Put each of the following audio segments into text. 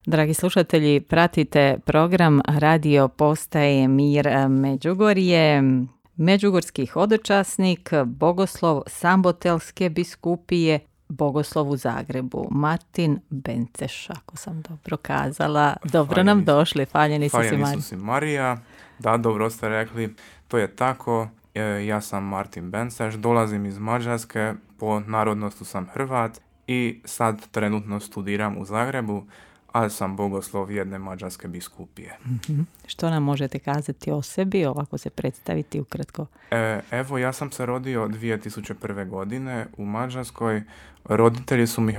Dragi slušatelji, pratite program Radio Postaje Mir Međugorje. Međugorski hodočasnik, bogoslov Sambotelske biskupije, bogoslov u Zagrebu, Martin Benceš, ako sam dobro kazala. Dobro nam došli, faljeni su si Marija. Da, dobro ste rekli, to je tako. Ja sam Martin Benceš, dolazim iz Mađarske, po narodnosti sam Hrvat i sad trenutno studiram u Zagrebu, ali sam bogoslov jedne mađarske biskupije. Mm-hmm. Što nam možete kazati o sebi, ovako se predstaviti ukratko? Evo, ja sam se rodio 2001. godine u Mađarskoj. Roditelji su mi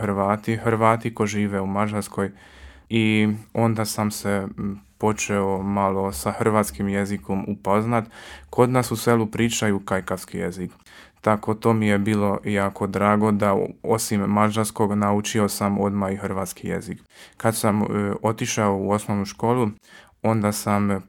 Hrvati ko žive u Mađarskoj i onda sam se počeo malo sa hrvatskim jezikom upoznat. Kod nas u selu pričaju kajkavski jezik. Tako to mi je bilo jako drago da osim mađarskog naučio sam odmah i hrvatski jezik. Kad sam otišao u osnovnu školu, onda sam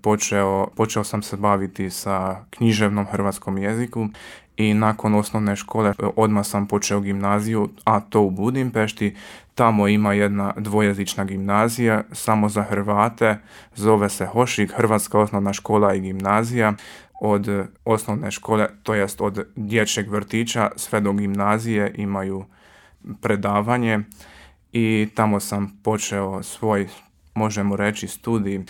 počeo sam se baviti sa književnom hrvatskom jeziku i nakon osnovne škole odmah sam počeo gimnaziju, a to u Budimpešti. Tamo ima jedna dvojezična gimnazija samo za Hrvate, zove se Hošik, Hrvatska osnovna škola i gimnazija. Od osnovne škole, to jest od dječjeg vrtića sve do gimnazije imaju predavanje i tamo sam počeo svoj, možemo reći, studij.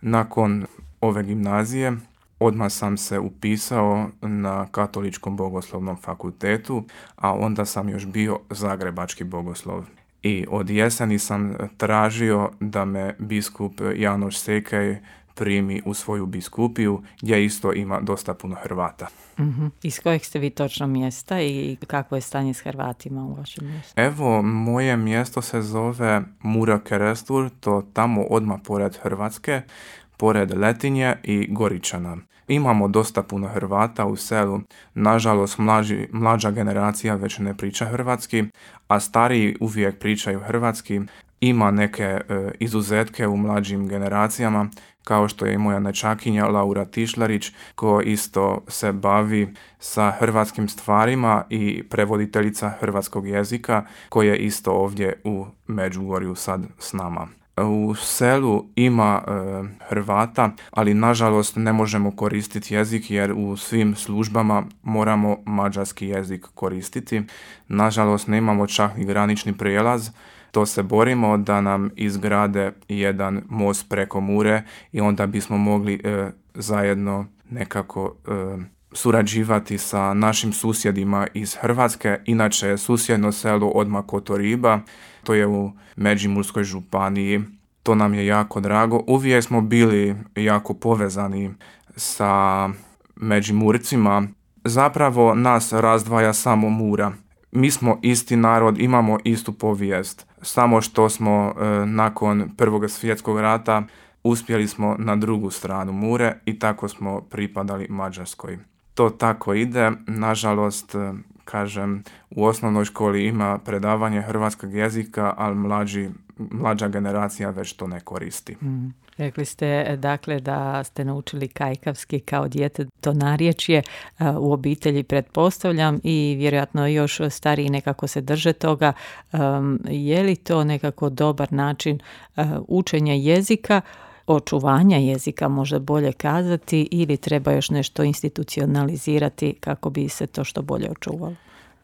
Nakon ove gimnazije odmah sam se upisao na Katoličkom bogoslovnom fakultetu, a onda sam još bio zagrebački bogoslov. I od jeseni sam tražio da me biskup Janoš Sekej primi u svoju biskupiju, gdje isto ima dosta puno Hrvata. Mm-hmm. Iz kojeg ste vi točno mjesta i kakvo je stanje s Hrvatima u vašem mjestu? Evo, moje mjesto se zove Mura Kerestur, to tamo odmah pored Hrvatske, pored Letinje i Goričana. Imamo dosta puno Hrvata u selu, nažalost mlađa generacija već ne priča hrvatski, a stariji uvijek pričaju hrvatski. Ima neke izuzetke u mlađim generacijama, kao što je i moja nećakinja Laura Tišlarić, koja isto se bavi sa hrvatskim stvarima i prevoditeljica hrvatskog jezika, koja je isto ovdje u Međugorju sad s nama. U selu ima Hrvata, ali nažalost ne možemo koristiti jezik jer u svim službama moramo mađarski jezik koristiti. Nažalost nemamo čak ni granični prijelaz. To se borimo da nam izgrade jedan most preko Mure i onda bismo mogli zajedno nekako surađivati sa našim susjedima iz Hrvatske. Inače je susjedno selo odmah Kotoriba, to je u Međimurskoj županiji. To nam je jako drago. Uvijek smo bili jako povezani sa Međimurcima. Zapravo nas razdvaja samo Mura. Mi smo isti narod, imamo istu povijest. Samo što smo nakon Prvog svjetskog rata uspjeli smo na drugu stranu Mure i tako smo pripadali Mađarskoj. To tako ide. Nažalost, kažem, u osnovnoj školi ima predavanje hrvatskog jezika, ali mlađa generacija već to ne koristi. Rekli ste dakle da ste naučili kajkavski kao dijete, to narječje u obitelji pretpostavljam i vjerojatno još stariji nekako se drže toga. Je li to nekako dobar način učenja jezika, očuvanja jezika možda bolje kazati, ili treba još nešto institucionalizirati kako bi se to što bolje očuvalo?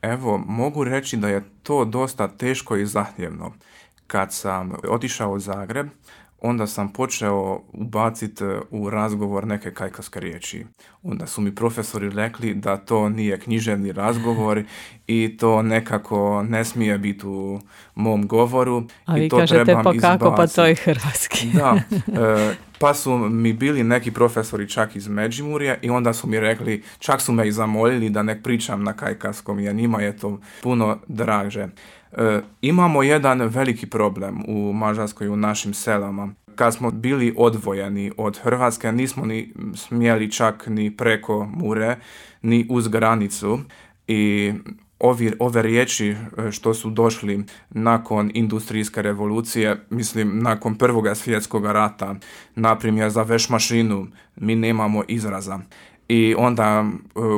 Evo, mogu reći da je to dosta teško i zahtjevno. Kad sam otišao u Zagreb, onda sam počeo ubaciti u razgovor neke kajkavske riječi. Onda su mi profesori rekli da to nije književni razgovor i to nekako ne smije biti u mom govoru. A vi to kažete trebam pa kako, izbaciti. pa to je hrvatski. Da, pa su mi bili neki profesori čak iz Međimurja i onda su mi rekli, čak su me i zamolili da ne pričam na kajkavskom jer njima je to puno draže. Imamo jedan veliki problem u Mađarskoj, u našim selama. Kad smo bili odvojeni od Hrvatske, nismo ni smjeli čak ni preko Mure, ni uz granicu i ove riječi što su došli nakon industrijske revolucije, mislim nakon Prvog svjetskog rata, naprimjer za vešmašinu, mi nemamo izraza. I onda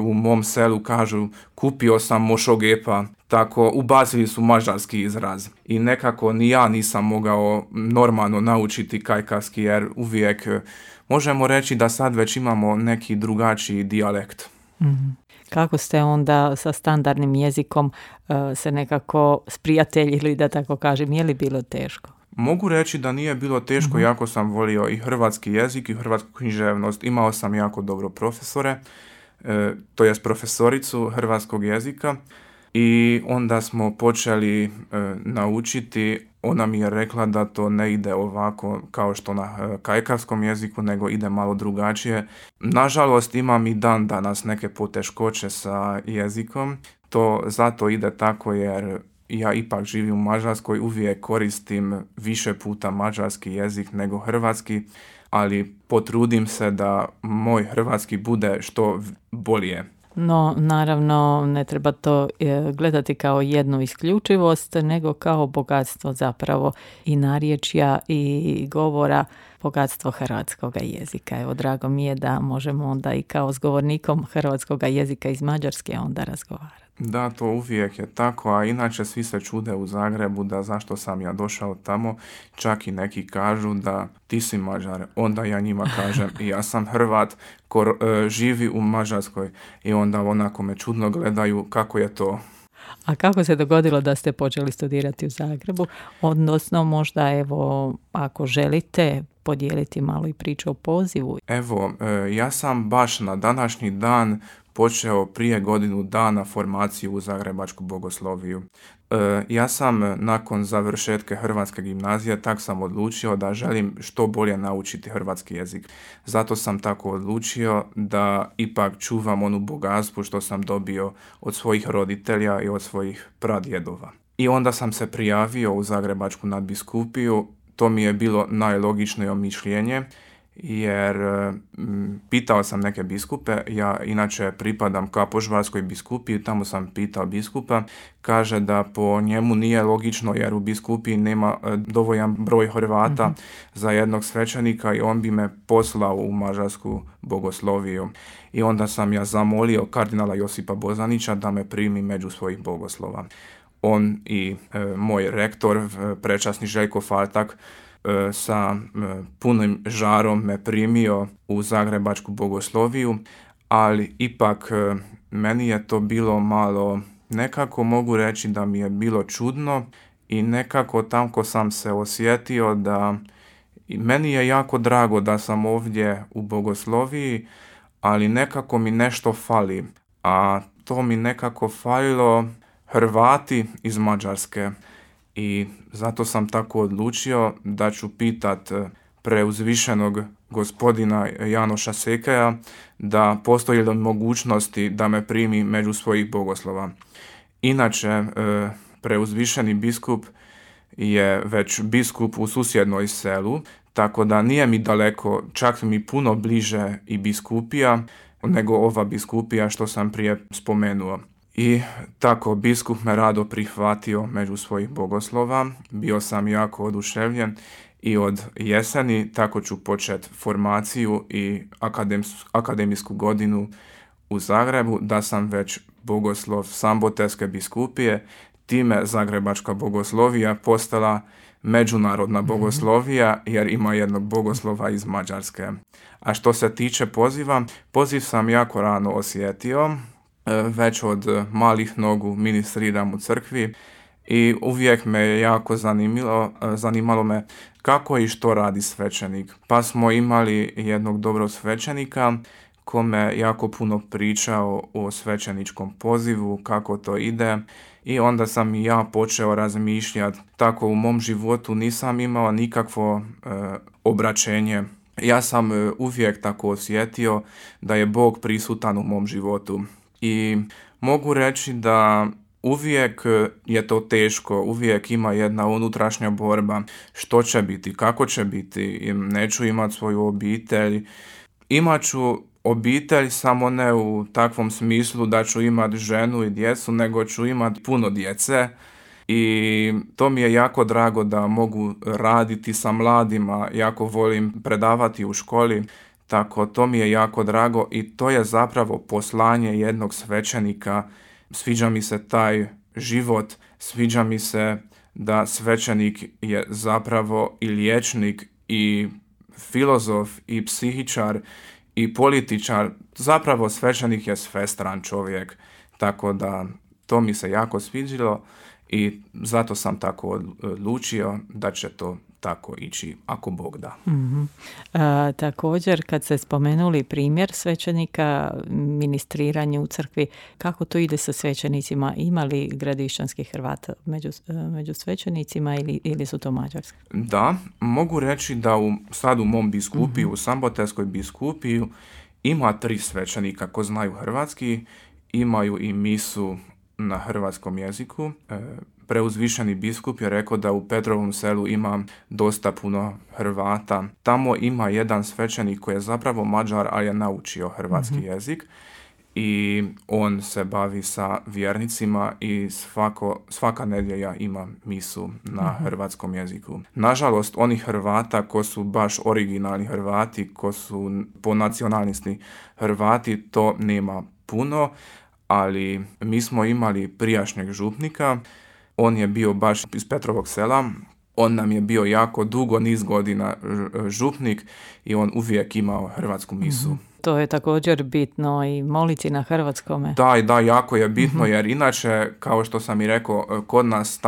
u mom selu kažu kupio sam mošogepa, tako ubacili su mađarski izraz. I nekako ni ja nisam mogao normalno naučiti kajkavski jer uvijek možemo reći da sad već imamo neki drugačiji dijalekt. Mm-hmm. Kako ste onda sa standardnim jezikom se nekako sprijateljili, da tako kažem, je li bilo teško? Mogu reći da nije bilo teško, jako sam volio i hrvatski jezik i hrvatsku književnost. Imao sam jako dobro profesore, to jest profesoricu hrvatskog jezika i onda smo počeli naučiti. Ona mi je rekla da to ne ide ovako kao što na kajkavskom jeziku, nego ide malo drugačije. Nažalost, imam i dan danas neke poteškoće sa jezikom. To zato ide tako jer ja ipak živim u Mađarskoj, uvijek koristim više puta mađarski jezik nego hrvatski, ali potrudim se da moj hrvatski bude što bolje. No, naravno, ne treba to gledati kao jednu isključivost, nego kao bogatstvo zapravo i narječja i govora, bogatstvo hrvatskog jezika. Evo, drago mi je da možemo onda i kao s govornikom hrvatskog jezika iz Mađarske onda razgovarati. Da, to uvijek je tako, a inače svi se čude u Zagrebu da zašto sam ja došao tamo, čak i neki kažu da ti si Mađar, onda ja njima kažem i ja sam Hrvat ko živi u Mađarskoj i onda onako me čudno gledaju kako je to. A kako se dogodilo da ste počeli studirati u Zagrebu? Odnosno, možda evo, ako želite podijeliti malo i priču o pozivu. Evo, ja sam baš na današnji dan počeo prije godinu dana formaciju u Zagrebačku bogosloviju. Ja sam nakon završetka hrvatske gimnazije tak sam odlučio da želim što bolje naučiti hrvatski jezik. Zato sam tako odlučio da ipak čuvam onu bogatstvu što sam dobio od svojih roditelja i od svojih pradjedova. I onda sam se prijavio u Zagrebačku nadbiskupiju. To mi je bilo najlogičnije mišljenje, jer pitao sam neke biskupe, ja inače pripadam Kapožvarskoj biskupiji, tamo sam pitao biskupa, kaže da po njemu nije logično jer u biskupiji nema dovoljan broj Hrvata za jednog svećenika i on bi me poslao u Mađarsku bogosloviju. I onda sam ja zamolio kardinala Josipa Bozanića da me primi među svojih bogoslova. On i moj rektor, prečasni Željko Faltak, sa punim žarom me primio u Zagrebačku bogosloviju, ali ipak meni je to bilo malo, nekako mogu reći da mi je bilo čudno i nekako tamko sam se osjetio da meni je jako drago da sam ovdje u bogosloviji, ali nekako mi nešto fali, a to mi nekako falilo Hrvati iz Mađarske. I zato sam tako odlučio da ću pitat preuzvišenog gospodina Janoša Sekeja da postoji li mogućnosti da me primi među svojih bogoslova. Inače, preuzvišeni biskup je već biskup u susjednoj selu, tako da nije mi daleko, čak mi puno bliže i biskupija nego ova biskupija što sam prije spomenuo. I tako biskup me rado prihvatio među svojih bogoslova, bio sam jako oduševljen i od jeseni tako ću početi formaciju i akademijsku godinu u Zagrebu, da sam već bogoslov Samboterske biskupije, time Zagrebačka bogoslovija postala međunarodna bogoslovija jer ima jednog bogoslova iz Mađarske. A što se tiče poziva, poziv sam jako rano osjetio. Već od malih nogu ministriram u crkvi i uvijek me jako zanimalo me kako i što radi svećenik. Pa smo imali jednog dobrog svećenika kome jako puno pričao o svećeničkom pozivu, kako to ide i onda sam i ja počeo razmišljati. Tako u mom životu nisam imao nikakvo obraćenje. Ja sam uvijek tako osjetio da je Bog prisutan u mom životu. I mogu reći da uvijek je to teško, uvijek ima jedna unutrašnja borba, što će biti, kako će biti, neću imati svoju obitelj. Imat ću obitelj samo ne u takvom smislu da ću imati ženu i djecu, nego ću imati puno djece i to mi je jako drago da mogu raditi sa mladima, jako volim predavati u školi. Tako, to mi je jako drago i to je zapravo poslanje jednog svećenika. Sviđa mi se taj život, sviđa mi se da svećenik je zapravo i liječnik i filozof i psihičar i političar. Zapravo svećenik je svestran čovjek, tako da to mi se jako sviđalo i zato sam tako odlučio da će to tako ići, ako Bog da. Mm-hmm. Također, kad ste spomenuli primjer svećenika, ministriranje u crkvi, kako to ide sa svećenicima? Ima li gradišćanskih Hrvata među svećenicima ili su to mađarski? Da, mogu reći da sad u mom biskupiju, u Sambotelskoj biskupiju, ima 3 svećenika ko znaju hrvatski, imaju i misu na hrvatskom jeziku. Preuzvišeni biskup je rekao da u Petrovom Selu ima dosta puno Hrvata. Tamo ima jedan svećenik koji je zapravo Mađar, ali je naučio hrvatski jezik i on se bavi sa vjernicima i svaka nedjelja ima misu na hrvatskom jeziku. Nažalost, oni Hrvata ko su baš originalni Hrvati, ko su po nacionalnosti Hrvati, to nema puno, ali mi smo imali prijašnjeg župnika. On je bio baš iz Petrovog Sela, on nam je bio jako dugo, niz godina župnik i on uvijek imao hrvatsku misu. To je također bitno i moliti na hrvatskome. Da, jako je bitno jer inače, kao što sam i rekao, kod nas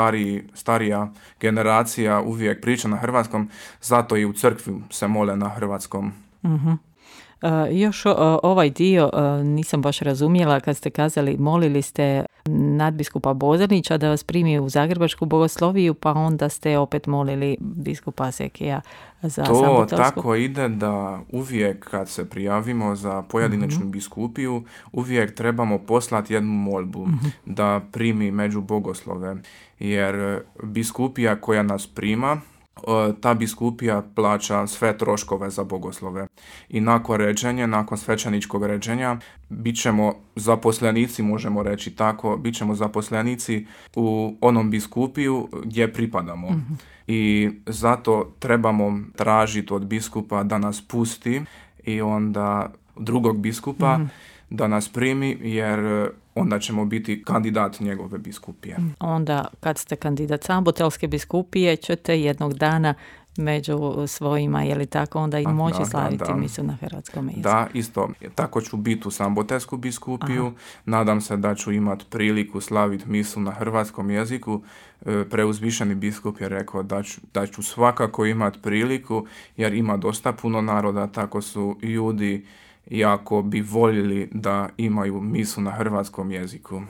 starija generacija uvijek priča na hrvatskom, zato i u crkvi se mole na hrvatskom. Još ovaj dio nisam baš razumjela kad ste kazali, molili ste nadbiskupa Bozanića da vas primi u Zagrebačku bogosloviju, pa onda ste opet molili biskupa Sekija za Sambotelsku. To tako ide da uvijek kad se prijavimo za pojedinačnu biskupiju, uvijek trebamo poslati jednu molbu da primi među bogoslove, jer biskupija koja nas prima, ta biskupija plaća sve troškove za bogoslove. I nakon svećeničkog ređenja, bit ćemo zaposlenici, možemo reći tako, bit ćemo zaposlenici u onom biskupiju gdje pripadamo. I zato trebamo tražiti od biskupa da nas pusti i onda drugog biskupa da nas primi, jer onda ćemo biti kandidat njegove biskupije. Onda kad ste kandidat Sambotelske biskupije ćete jednog dana među svojima, je li tako, onda i moći slaviti misu na hrvatskom jeziku. Da, isto. Tako ću biti u Sambotelsku biskupiju. Nadam se da ću imati priliku slaviti misu na hrvatskom jeziku. Preuzvišeni biskup je rekao da ću svakako imati priliku, jer ima dosta puno naroda, tako su ljudi jako bi voljeli da imaju misu na hrvatskom jeziku.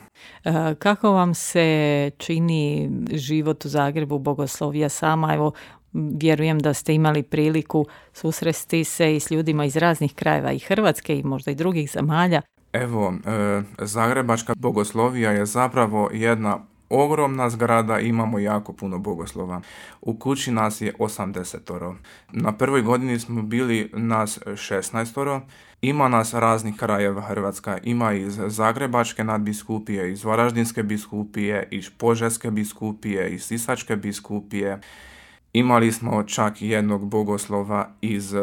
Kako vam se čini život u Zagrebu, bogoslovija sama? Evo, vjerujem da ste imali priliku susresti se i s ljudima iz raznih krajeva i Hrvatske i možda i drugih zemalja. Evo, Zagrebačka bogoslovija je zapravo jedna ogromna zgrada, imamo jako puno bogoslova. U kući nas je 80. Na prvoj godini smo bili nas 16. Ima nas raznih krajeva Hrvatska. Ima iz Zagrebačke nadbiskupije, iz Varaždinske biskupije, iz Požeške biskupije, iz Sisačke biskupije. Imali smo čak jednog bogoslova iz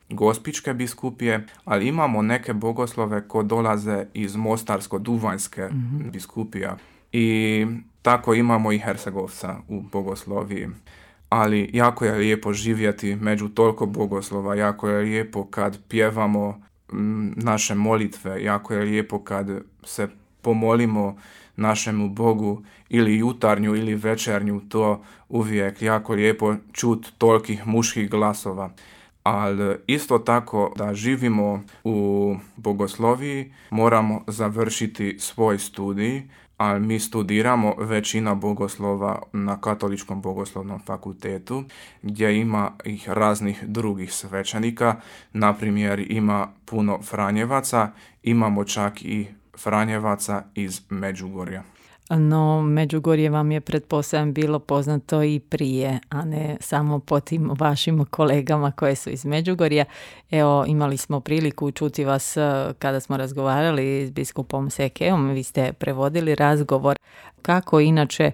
Gospićke biskupije, ali imamo neke bogoslove koji dolaze iz Mostarsko-Duvanjske biskupija. I tako imamo i Hercegovca u bogosloviji. Ali jako je lijepo živjeti među toliko bogoslova, jako je lijepo kad pjevamo naše molitve, jako je lijepo kad se pomolimo našemu Bogu ili jutarnju ili večernju, to uvijek jako lijepo čut tolikih muških glasova. Ali isto tako da živimo u bogosloviji moramo završiti svoj studij, ali mi studiramo većina bogoslova na Katoličkom bogoslovnom fakultetu, gdje ima ih raznih drugih svećenika. Na primjer, ima puno Franjevaca, imamo čak i Franjevaca iz Međugorja. No, Međugorje vam je, pretpostavljam, bilo poznato i prije, a ne samo po tim vašim kolegama koje su iz Međugorja. Evo, imali smo priliku čuti vas kada smo razgovarali s biskupom Sekeom, vi ste prevodili razgovor. Kako inače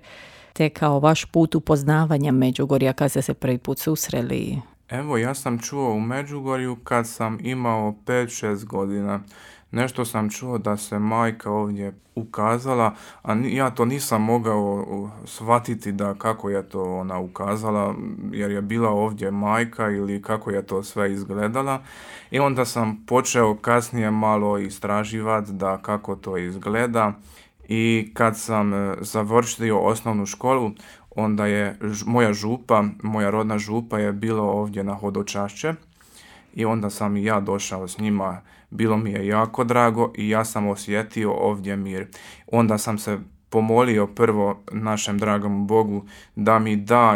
tekao vaš put upoznavanja Međugorja kad ste se prvi put susreli? Evo, ja sam čuo u Međugorju kad sam imao 5-6 godina. Nešto sam čuo da se majka ovdje ukazala, a ja to nisam mogao shvatiti da kako je to ona ukazala, jer je bila ovdje majka ili kako je to sve izgledala. I onda sam počeo kasnije malo istraživati da kako to izgleda. I kad sam završio osnovnu školu, onda je moja rodna župa je bila ovdje na hodočašće i onda sam i ja došao s njima. Bilo mi je jako drago i ja sam osjetio ovdje mir. Onda sam se pomolio prvo našem dragom Bogu da mi da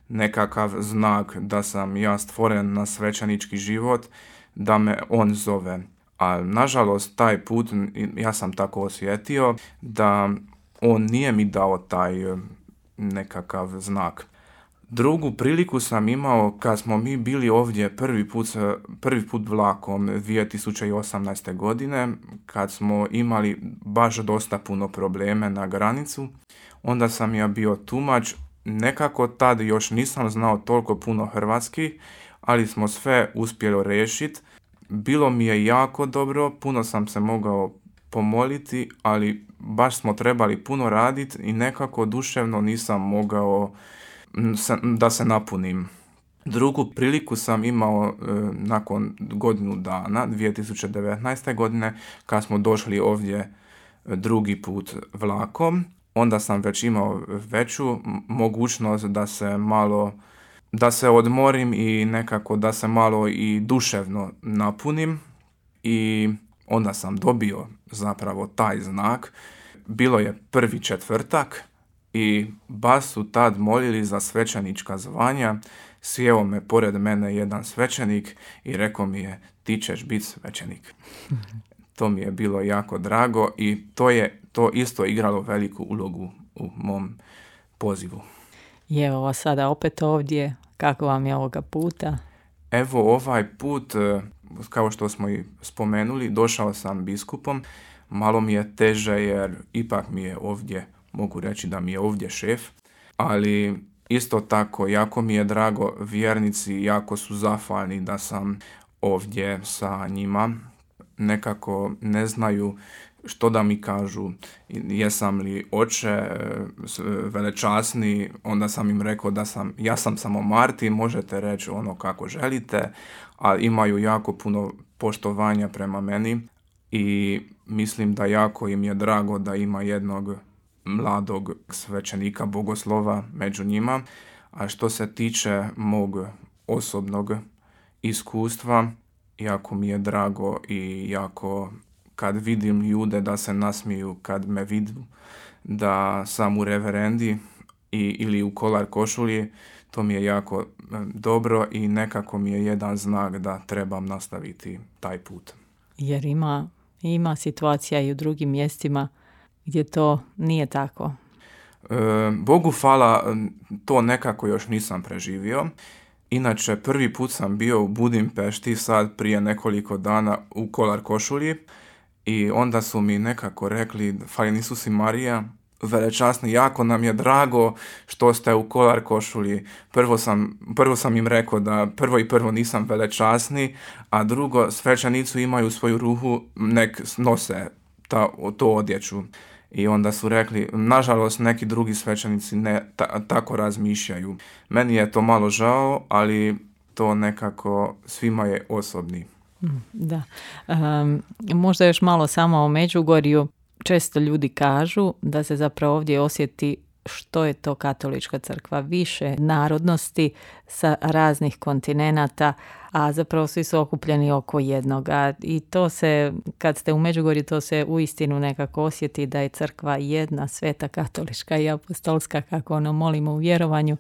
nekakav znak da sam ja stvoren na svećenički život, da me on zove. A nažalost taj put ja sam tako osjetio da on nije mi dao taj nekakav znak. Drugu priliku sam imao kad smo mi bili ovdje prvi put vlakom 2018. godine, kad smo imali baš dosta puno probleme na granicu. Onda sam ja bio tumač, nekako tad još nisam znao toliko puno hrvatski, ali smo sve uspjeli riješiti. Bilo mi je jako dobro, puno sam se mogao pomoliti, ali baš smo trebali puno raditi i nekako duševno nisam mogao da se napunim. Drugu priliku sam imao nakon godinu dana, 2019. godine, kad smo došli ovdje drugi put vlakom. Onda sam već imao veću mogućnost da se odmorim i nekako da se malo i duševno napunim. I onda sam dobio zapravo taj znak. Bilo je 1. četvrtak i baš su tad molili za svećenička zvanja. Sjeo me pored mene jedan svećenik i rekao mi je, ti ćeš biti svećenik. To mi je bilo jako drago i to isto igralo veliku ulogu u mom pozivu. I evo sada opet ovdje, kako vam je ovoga puta? Evo ovaj put, kao što smo i spomenuli, došao sam biskupom. Malo mi je teže jer ipak mi je ovdje, mogu reći da mi je ovdje šef, ali isto tako jako mi je drago, vjernici jako su zahvalni da sam ovdje sa njima. Nekako ne znaju što da mi kažu, jesam li oče velečasni, onda sam im rekao ja sam samo Martin, možete reći ono kako želite, a imaju jako puno poštovanja prema meni i mislim da jako im je drago da ima jednog mladog svećenika bogoslova među njima. A što se tiče mog osobnog iskustva, jako mi je drago i jako kad vidim ljude da se nasmiju, kad me vidu da sam u reverendi ili u kolar košulji, to mi je jako dobro i nekako mi je jedan znak da trebam nastaviti taj put. Jer ima situacija i u drugim mjestima gdje to nije tako. Bogu hvala, to nekako još nisam preživio. Inače, prvi put sam bio u Budimpešti sad prije nekoliko dana u kolar košulji i onda su mi nekako rekli, Fali Isus i Marija, velečasni, jako nam je drago što ste u kolar košulji. Prvo sam im rekao da prvo nisam velečasni, a drugo, svećenici imaju svoju ruhu, nek nose to odjeću. I onda su rekli, nažalost neki drugi svećenici ne tako razmišljaju. Meni je to malo žao, ali to nekako svima je osobni. Da. Možda još malo samo o Međugorju. Često ljudi kažu da se zapravo ovdje osjeti što je to katolička crkva, više narodnosti sa raznih kontinenata, a zapravo svi su okupljeni oko jednoga. I to se, kad ste u Međugorju, to se uistinu nekako osjeti da je crkva jedna, sveta, katolička i apostolska, kako molimo u vjerovanju.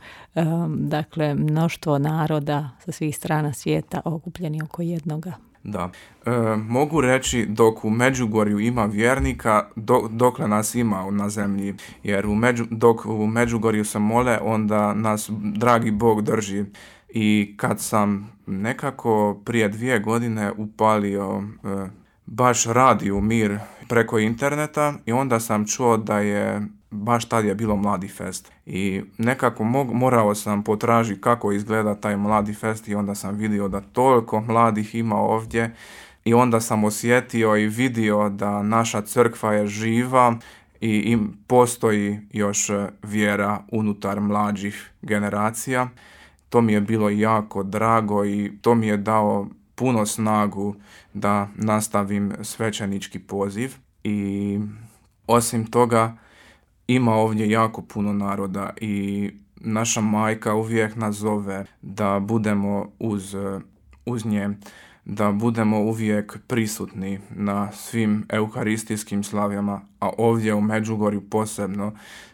Dakle, mnoštvo naroda sa svih strana svijeta okupljeni oko jednoga. Da. Mogu reći dok u Međugorju ima vjernika, dokle nas ima na zemlji, jer dok u Međugorju se mole, onda nas dragi Bog drži. I kad sam nekako prije 2 godine upalio baš radio Mir preko interneta i onda sam čuo da je baš tad je bilo Mladi fest. I nekako morao sam potražiti kako izgleda taj Mladi fest i onda sam vidio da toliko mladih ima ovdje i onda sam osjetio i vidio da naša crkva je živa i postoji još vjera unutar mlađih generacija. To mi je bilo jako drago i to mi je dao puno snagu da nastavim svećenički poziv. I osim toga ima ovdje jako puno naroda i naša majka uvijek nas zove da budemo uz nje, da budemo uvijek prisutni na svim euharistijskim slavljama, a ovdje u Međugorju posebno.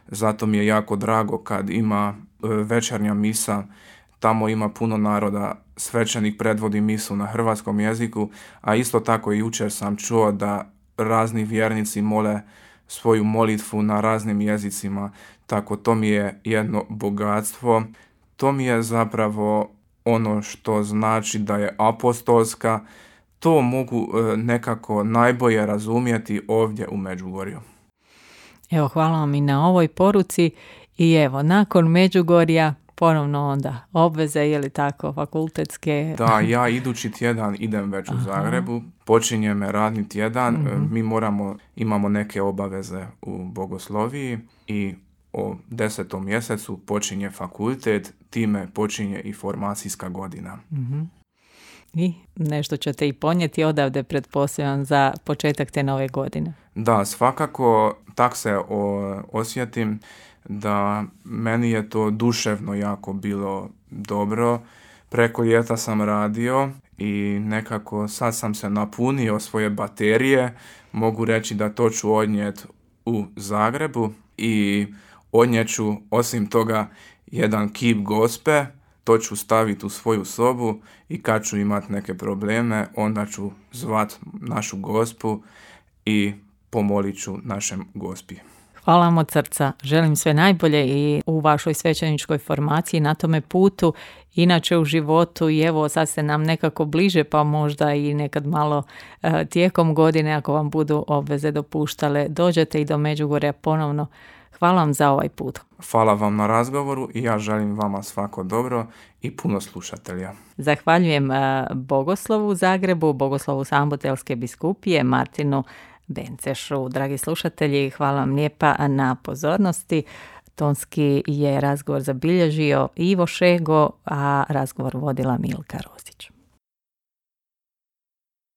Zato mi je jako drago kad ima večernja misa, tamo ima puno naroda, svećenik predvodi misu na hrvatskom jeziku, a isto tako i jučer sam čuo da razni vjernici mole svoju molitvu na raznim jezicima, tako to mi je jedno bogatstvo. To mi je zapravo ono što znači da je apostolska. To mogu nekako najbolje razumjeti ovdje u Međugorju. Evo, hvala vam i na ovoj poruci i evo, nakon Međugorja ponovno onda obveze, je li tako, fakultetske? Da, ja idući tjedan idem već u Zagrebu, počinje me radni tjedan, mi imamo neke obaveze u bogosloviji i o 10. mjesecu počinje fakultet, time počinje i formacijska godina. I nešto ćete i ponijeti odavde, pretpostavljam, za početak te nove godine. Da, svakako tak se osjetim da meni je to duševno jako bilo dobro. Preko ljeta sam radio i nekako sad sam se napunio svoje baterije. Mogu reći da to ću odnijeti u Zagrebu i odnijeću osim toga jedan kip Gospe. To ću staviti u svoju sobu i kad ću imati neke probleme, onda ću zvat našu Gospu i pomolit ću našem Gospi. Hvala vam od srca. Želim sve najbolje i u vašoj svećeničkoj formaciji na tome putu, inače u životu i evo sad ste nam nekako bliže pa možda i nekad malo tijekom godine ako vam budu obveze dopuštale dođete i do Međugorja ponovno. Hvala vam za ovaj put. Hvala vam na razgovoru i ja želim vama svako dobro i puno slušatelja. Zahvaljujem bogoslovu u Zagrebu, bogoslovu Sambotelske biskupije Martinu Bencešu. Dragi slušatelji, hvala vam lijepa na pozornosti. Tonski je razgovor zabilježio Ivo Šego, a razgovor vodila Milka Rozić.